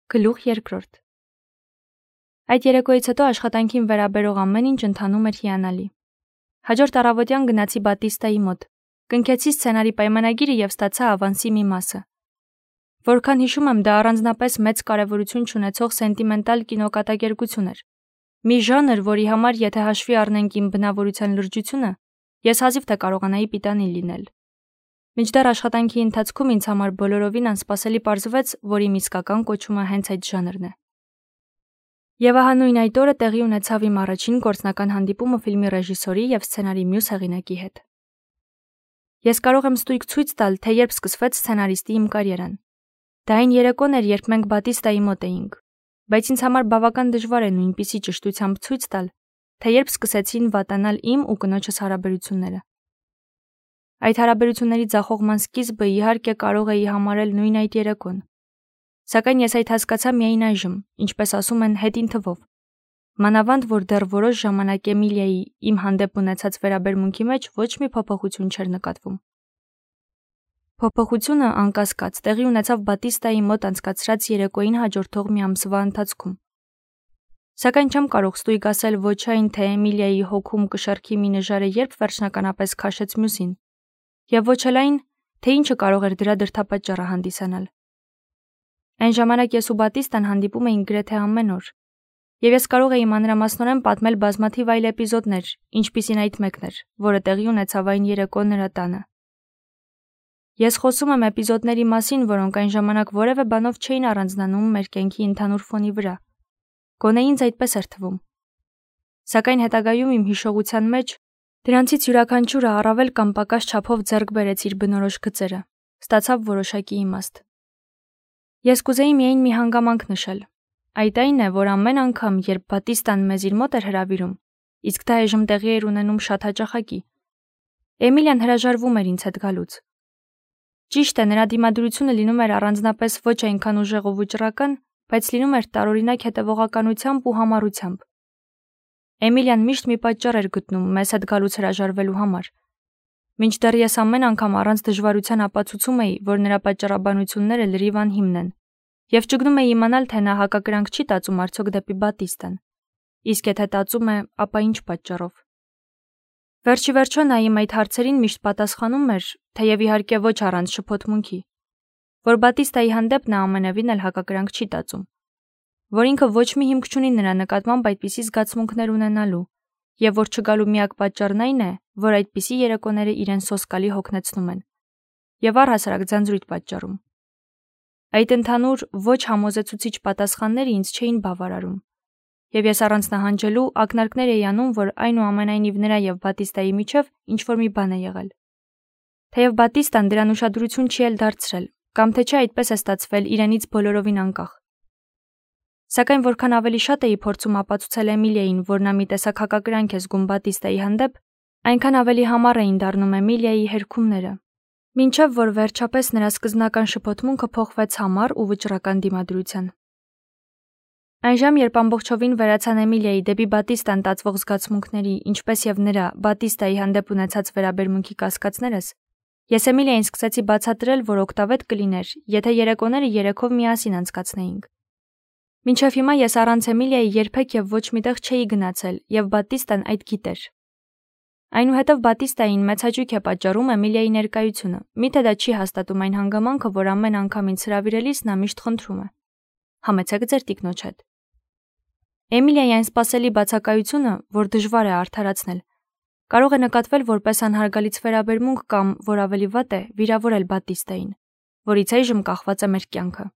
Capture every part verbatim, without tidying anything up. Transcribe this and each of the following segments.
Գլուխ երկրորդ։ Այդ երեկոյից հետո աշխատանքին վերաբերող ամեն ինչ ընթանում էր հիանալի։ Հաջորդ առավոտյան գնացի Բատիստայի մոտ, կնքեցի սցենարի պայմանագիրը եւ ստացա ավանսի մի մասը։ Որքան հիշում եմ, դա առանձնապես մեծ կարևորություն չունեցող սենտիմենտալ կինոկատակերգություն էր։ Մի ժանր, որի համար եթե հաշվի առնենք իմ բնավորության լրջությունը, ես հազիվ թե կարողանայի պիտանի լինել։ Մինչդեռ աշխատանքի ընթացքում ինձ համար բոլորովին անսպասելի պարզվեց, որ իմ իսկական կոչումը հենց այդ ժանրն է։ Եվ ահա նույն այդ օրը տեղի ունեցավ իմ առաջին գործնական հանդիպումը ֆիլմի ռեժիսորի եւ սցենարի մյուս հեղինակի հետ։ Ես կարող եմ ստույգ ցույց տալ, թե երբ սկսվեց սցենարիստի իմ կարիերան։ Դա այն երեկոն էր, երբ մենք Բատիստայի մոտ էինք, բայց ինձ համար բավական դժվար է նույնպիսի ճշտությամբ ցույց տալ, թե երբ սկսեցին վատանալ իմ ու կնոջս հարաբերությունները։ Այդ հարաբերությունների ձախողման սկիզբը իհարկե կարող էի համարել նույն այդ երեկոն։ Սակայն ես այդ հասկացա միայն այժմ, ինչպես ասում են, հետին թվով։ Մանավանդ, որ դեռ որոշ ժամանակ Էմիլիայի իմ հանդեպ ունեցած վերաբերմունքի մեջ ոչ մի փոփոխություն չէր նկատվում։ Փոփոխությունը, անկասկած, տեղի ունեցավ Բատիստայի մոտ անցկացրած երեկոյին հաջորդող մի ամսվա ընթացքում։ Սակայն չեմ կարող ստույգ ասել ոչ այն, թե Էմիլիայի հոգում կշեռքի մի նժարը երբ վերջնականապես քաշեց մյուսին, եւ ոչ էլ այն, թե ինչը կարող էր դրա դրդապատճառը հանդիսանալ։ Այն ժամանակ ես ու Բատիստան հանդիպում էինք գրեթե ամեն օր, եւ ես կարող էի մանրամասնորեն պատմել բազմաթիվ այլ էպիզոդներ, ինչպիսին այդ մեկն էր, որը տեղի ունեցավ այն երեկո նրա տանը։ Ես խոսում եմ էպիզոդների մասին, որոնք այն ժամանակ որևէ բանով չէին առանձնանում մեր կյանքի ընդհանուր ֆոնի վրա։ Գոնե ինձ այդպես էր թվում։ Սակայն հետագայում իմ հիշողության մեջ դրանցից յուրաքանչյուրը առավել կամ պակաս չափով ձեռք բերեց իր բնորոշ գծերը, ստացավ որոշակի իմաստ։ Ես կուզեի միայն մի հանգամանք նշել։ Այդ այն է, որ ամեն անգամ, երբ Բատիստան մեզ իր մոտ էր հրավիրում, իսկ դա այժմ տեղի էր ունենում շատ հաճախակի, Էմիլիան հրաժարվում էր ինձ հետ գալուց։ Ճիշտ է, նրա դիմադրությունը լինում էր առանձնապես ոչ այնքան ուժեղ ու վճռական, բայց լինում էր տարօրինակ հետևողականությամբ ու համառությամբ։ Էմիլիան միշտ մի պատճառ էր գտնում մեզ հետ գալուց հրաժարվելու համար։ Մինչդեռ ես ամեն անգամ առանց դժվարության ապացուցում էի, որ նրա պատճառաբանությունները լրիվ անհիմն են, եւ ճգնում էի իմանալ, թե նա հակակրանք չի տածում արդյոք դեպի Բատիստան, իսկ եթե տածում է, ապա ինչ պատճառով։ Վերջի վերջո նա իմ այդ հարցերին միշտ պատասխանում էր, թեև իհարկե ոչ առանց շփոթմունքի, որ Բատիստայի հանդեպ նա ամենևին էլ հակակրանք չի տածում, որ ինքը ոչ մի հիմք չունի նրա նկատմամբ այդպիսի զգացմունքներ ունենալու, եւ որ չգալու միակ պատճառն այն է, որ այդպիսի երեկոները իրեն սոսկալի հոգնեցնում են, եւ առհասարակ ձանձրույթ պատճառում։ Այդ ընդհանուր ոչ համոզեցուցիչ պատասխանները ինձ չէին բավարարում, եւ ես առանց նահանջելու ակնարկներ էի անում, որ այնուամենայնիվ նրա եւ Բատիստայի միջև ինչ-որ մի բան է եղել։ Թեև Բատիստան դրան ուշադրություն չի էլ դարձրել, կամ թե չէ այդպես է ստացվել իրենից բոլորովին անկախ։ Սակայն որքան ավելի շատ էի փորձում ապացուցել Էմիլիային, որ նա մի տեսակ հակակրանք է զգում Բատիստայի հանդեպ, այնքան ավելի համառ էին դառնում Էմիլիայի հերքումները, մինչև որ վերջապես նրա սկզբնական շփոթմունքը փոխվեց համառ ու վճռական դիմադրության։ Այնժամ, երբ ամբողջովին վերացան Էմիլիայի դեպի Բատիստան տածվող զգացմունքների, ինչպես եւ նրա Բատիստայի հանդեպ ունեցած վերաբերմունքի կասկածներս, ես Էմիլիային սկսեցի բացատրել, որ օգտավետ կլիներ, եթե երեկոները երեքով միասին անցկացնեինք։ Մինչև հիմա ես առանց Էմիլիայի երբեք եւ ոչ միտեղ չէի գնացել, եւ Բատիստան այդ գիտեր։ Այնուհետև Բատիստային մեծ հաճույք է պատճառում Էմիլիայի ներկայությունը, միթե դա չի հաստատում այն հանգամանքը, որ ամեն անգամ ինձ հրավիրելիս նա միշտ խնդրում է. «Համեցեք ձեր տիկնոջ հետ»։ Էմիլիայի այն սպասելի բացակայությունը, որ դժվար է արդարացնել, կարող է նկատվել որպես անհարգալից վերաբերմունք կամ, որ ավելի վատ է, վիրավորել Բատիստային, որից այժմ կախված է մեր կյանքը։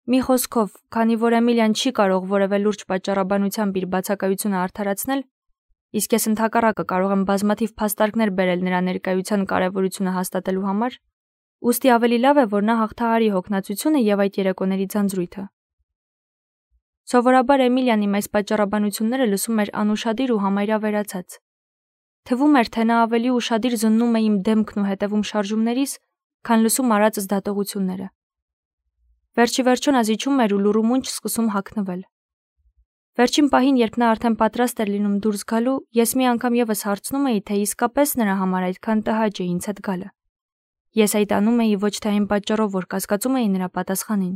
Մի խոսքով, քանի որ Էմիլիան չի կարող որևէ լուրջ պատճառաբանությամբ իր բացակայությունը արդարացնել, իսկ ես ընդհակառակը կարող եմ բազմաթիվ փաստարկներ բերել նրա ներկայության կարևորությունը հաստատելու համար, ուստի ավելի լավ է, որ նա հաղթահարի հոգնածությունը եւ այդ երեկոների ձանձրույթը։ Սովորաբար Էմիլիան իմ այս պատճառաբանությունները լսում էր անուշադիր ու համարյա վերացած։ Թվում էր, թե նա ավելի ուշադիր զննում է իմ դեմքն ու հետևում շարժումներիս, քան լսում արածս դատողությունները։ Վերջի վերջո նա զիջում էր ու լուրումունջ սկսում հագնվել։ Վերջին պահին, երբ նա արդեն պատրաստ էր լինում դուրս գալու, ես մի անգամ եւս հարցնում էի, թե իսկապես նրա համար այդքան տհաճ է ինձ հետ գալը։ Ես այդ անում էի ոչ թե այն պատճառով, որ կասկածում էի նրա պատասխանին,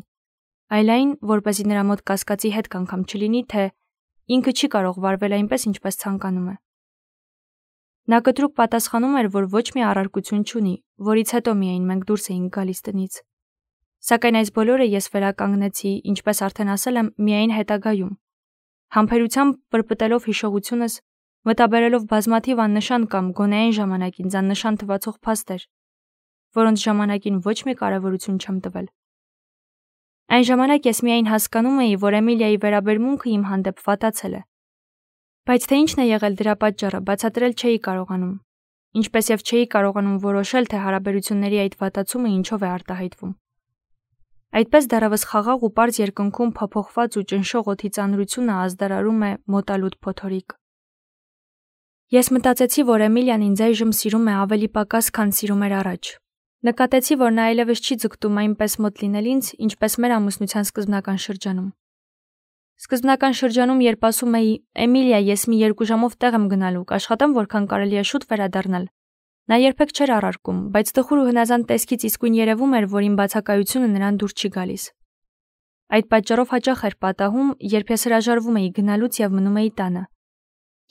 այլ այն, որպեսզի նրա մոտ կասկածի հետ անգամ չլինի, թե ինքը չի կարող վարվել այնպես, ինչպես ցանկանում է։ Նա կտրուկ պատասխանում էր, որ ոչ մի առարկություն չունի, որից հետո միայն մենք դուրս էինք գալիս տնից։ Սակայն այս բոլորը ես վերականգնեցի, ինչպես արդեն ասել եմ, միայն հետագայում։ Համբերությամբ պրպտելով հիշողությունս, մտաբերելով բազմաթիվ աննշան կամ գոնե այն ժամանակ ինձ աննշան թվացող փաստեր, որոնց ժամանակին ոչ մի կարևորություն չեմ տվել։ Այն ժամանակ ես միայն հասկանում էի, որ Էմիլիայի վերաբերմունքը իմ հանդեպ վատացել է։ Բայց թե ինչն է եղել դրա պատճառը, բացատրել չէի կարողանում, ինչպես եւ չէի կարողանում որոշել, թե հարաբերությունների այդ վատացումը ինչով է արտահայտվում։ Այդպես դեռևս խաղաղ ու պարզ երկնքում փոփոխված ու ճնշող օդի ծանրությունը ազդարարում է մոտալուտ փոթորիկ։ Ես մտածեցի, որ Էմիլիան ինձ այժմ սիրում է ավելի պակաս, քան սիրում էր առաջ։ Նկատեցի, որ նա այլևս չի ձգտում այնպես մոտ լինել ինձ, ինչպես մեր ամուսնության սկզբնական շրջանում։ Սկզբնական շրջանում, երբ ասում էի «Էմիլիա, ես մի երկու ժամով տեղ եմ գնալու, կաշխատեմ որքան կարելի է շուտ վերադառնալ», նա երբեք չէր առարկում, բայց տխուր ու հնազանդ տեսքից իսկույն երևում էր, որ իմ բացակայությունը նրան դուր չի գալիս։ Այդ պատճառով հաճախ էր պատահում, երբ ես հրաժարվում էի գնալուց եւ մնում էի տանը։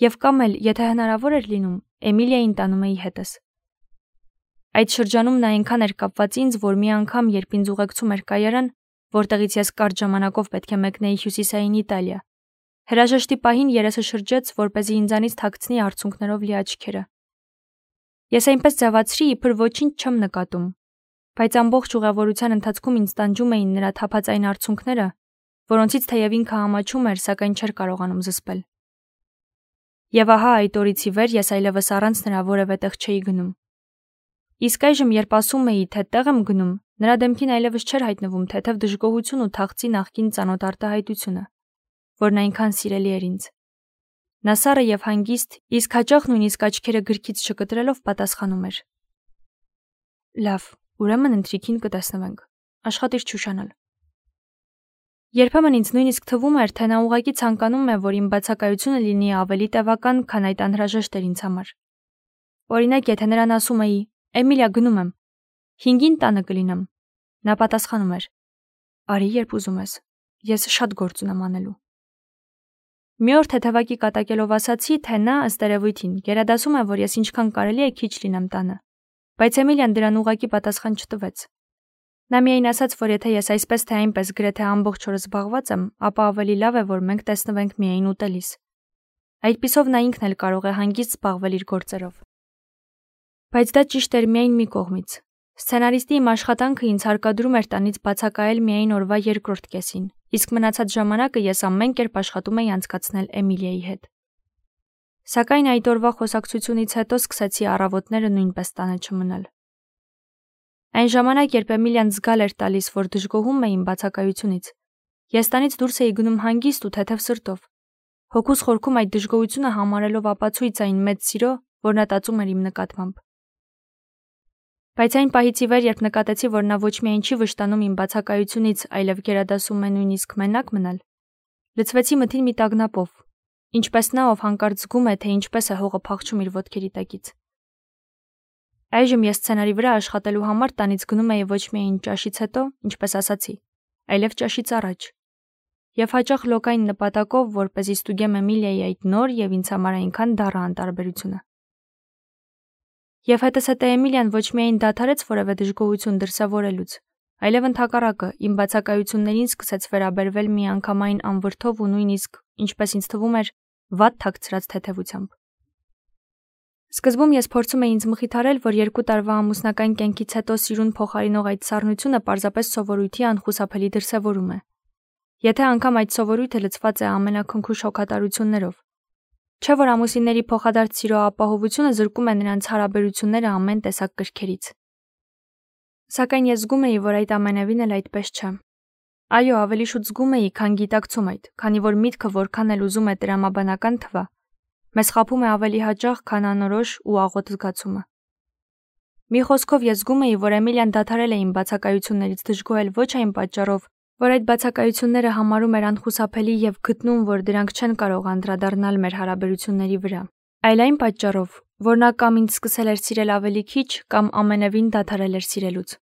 Եվ կամ էլ, եթե հնարավոր էր լինում, Էմիլիային տանում էի հետս։ Այդ շրջանում նա այնքան էր կապված ինձ, որ մի անգամ, երբ ինձ ուղեկցում էր կայարան, որտեղից ես կարճ ժամանակով պետք է մեկնեի հյուսիսային Իտալիա, հրաժեշտի պահին երեսը շրջեց, որպեսզի ինձանից թաքցնի արցունքներով լի աչքերը։ Ես այնպես ձևացրի, իբր ոչինչ չեմ նկատում, բայց ամբողջ ուղևորության ընթացքում ինձ տանջում էին նրա թափածային արցունքները, որոնցից թեև ինքը համաչում էր, սակայն չէր կարողանում զսպել։ Եվ ահա այդ օրից ի վեր ես այլևս առանց նրա որևէ տեղ չէի գնում։ Իսկ այժմ, երբ ասում էի, թե տեղ եմ գնում, նրա դեմքին այլևս չէր հայտնվում թեթև դժգոհություն ու թախծի նախկին ծանոթ արտահայտությունը, որն այնքան սիրելի էր ինձ։ Նա սառը եւ հանգիստ, իսկ հաճախ նույնիսկ աչքերը գրքից չկտրելով պատասխանում էր. Լավ, ուրեմն ընթրիքին կտեսնվենք, աշխատիր չուշանալ։ Երբեմն ինձ նույնիսկ թվում էր, թե նա ուղղակի ցանկանում է, որ իմ բացակայությունը լինի ավելի տևական, քան այդ անհրաժեշտ էր ինձ համար։ Օրինակ, եթե նրան ասում էի. «Էմիլիա, գնում եմ, հինգին տանը կլինեմ», նա պատասխանում էր. «Արի, երբ ուզում ես, ես շատ գործ ունեմ անելու»։ Մի օր թեթևակի կատակելով ասացի, թե նա ըստ երևույթին գերադասում է, որ ես ինչքան կարելի է քիչ լինեմ տանը, բայց Էմիլիան դրան ուղղակի պատասխան չտվեց։ Նա միայն ասաց, որ եթե ես այսպես թե այնպես գրեթե ամբողջ օրը զբաղված եմ, ապա ավելի լավ է, որ մենք տեսնվենք միայն ուտելիս։ Այդպիսով նա ինքն էլ կարող է հանգիստ զբաղվել իր գործերով։ Բայց դա ճիշտ էր միայն մի կողմից։ Սցենարիստի իմ աշխատանքը ինձ հարկադրում էր տանից բացակայել միայն օրվա երկրորդ կեսին, իսկ մնացած ժամանակը ես ամեն կերպ աշխատում էի անցկացնել Էմիլիայի հետ։ Սակայն այդ օրվա խոսակցությունից հետո սկսեցի առավոտները նույնպես տանը չմնալ։ Այն ժամանակ, երբ Էմիլիան զգալ էր տալիս, որ դժգոհում է իմ բացակայությունից, ես տանից դուրս էի գնում հանգիստ ու թեթև սրտով, հոգուս խորքում այդ դժգոհությունը համարելով ապացույց այն մեծ սիրո, որ նա տածում էր իմ նկատմամբ։ Բայց այն պահից ի վեր, երբ նկատեցի, որ նա ոչ միայն չի վշտանում իմ բացակայությունից, այլև գերադասում է նույնիսկ մենակ մնալ, լցվեցի մթին մի տագնապով, ինչպես նա, ով հանկարծ զգում է, թե ինչպես է հողը փախչում իր ոտքերի տակից։ Այժմ ես սցենարի վրա աշխատելու համար տանից գնում էի ոչ միայն ճաշից հետո, ինչպես ասացի, այլև ճաշից առաջ, եւ հաճախ լոկային նպատակով, որպեսզի ստուգեմ Էմիլիայի այդ նոր եւ ինձ համար այնքան դառը անտարբերությունը։ Եվ հետզհետե Էմիլիան ոչ միայն դադարեց որևէ դժգոհություն դրսևորելուց, այլև ընդհակառակը իմ բացակայություններին սկսեց վերաբերվել միանգամայն անվրդով ու նույնիսկ, ինչպես ինձ թվում էր, վատ թաքցրած թեթևությամբ։ Սկզբում ես փորձում էի ինձ մխիթարել, որ երկու տարվա ամուսնական կյանքից հետո սիրուն փոխարինող այդ սառնությունը պարզապես սովորույթի անխուսափելի դրսևորում է։ Եթե անգամ այդ սովորույթը լցված է ամենաքնքուշ հոգատարություններով, չէ՞ որ ամուսինների փոխադարձ սիրո ապահովությունը զրկում է նրանց հարաբերությունները ամեն տեսակ կրքերից։ Սակայն ես զգում էի, որ այդ ամենևին էլ այդպես չէ։ Այո, ավելի շուտ զգում էի, քան գիտակցում այդ, քանի որ միտքը որքան էլ ուզում է տրամաբանական թվա, մեզ խաբում է ավելի հաճախ, քան անորոշ ու աղոտ զգացումը։ Մի խոսքով ես զգում էի, որ Էմիլիան դադարել է իմ բացակայություններից դժգոհել ոչ այն պատճառով, որ այդ բացակայությունները համարում էր անխուսափելի եւ գտնում, որ դրանք չեն կարող անդրադառնալ մեր հարաբերությունների վրա, այլ այն պատճառով, որ նա կամ ինձ սկսել էր սիրել ավելի քիչ, կամ ամենևին դադարել էր սիրելուց։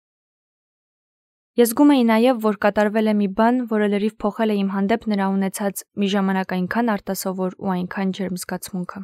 Ես զգում էի նաև, որ կատարվել է մի բան, որը լրիվ փոխել է իմ հանդեպ նրա ունեցած մի ժամանակ այնքան արտասովոր ու այնքան ջերմ զգացմունքը։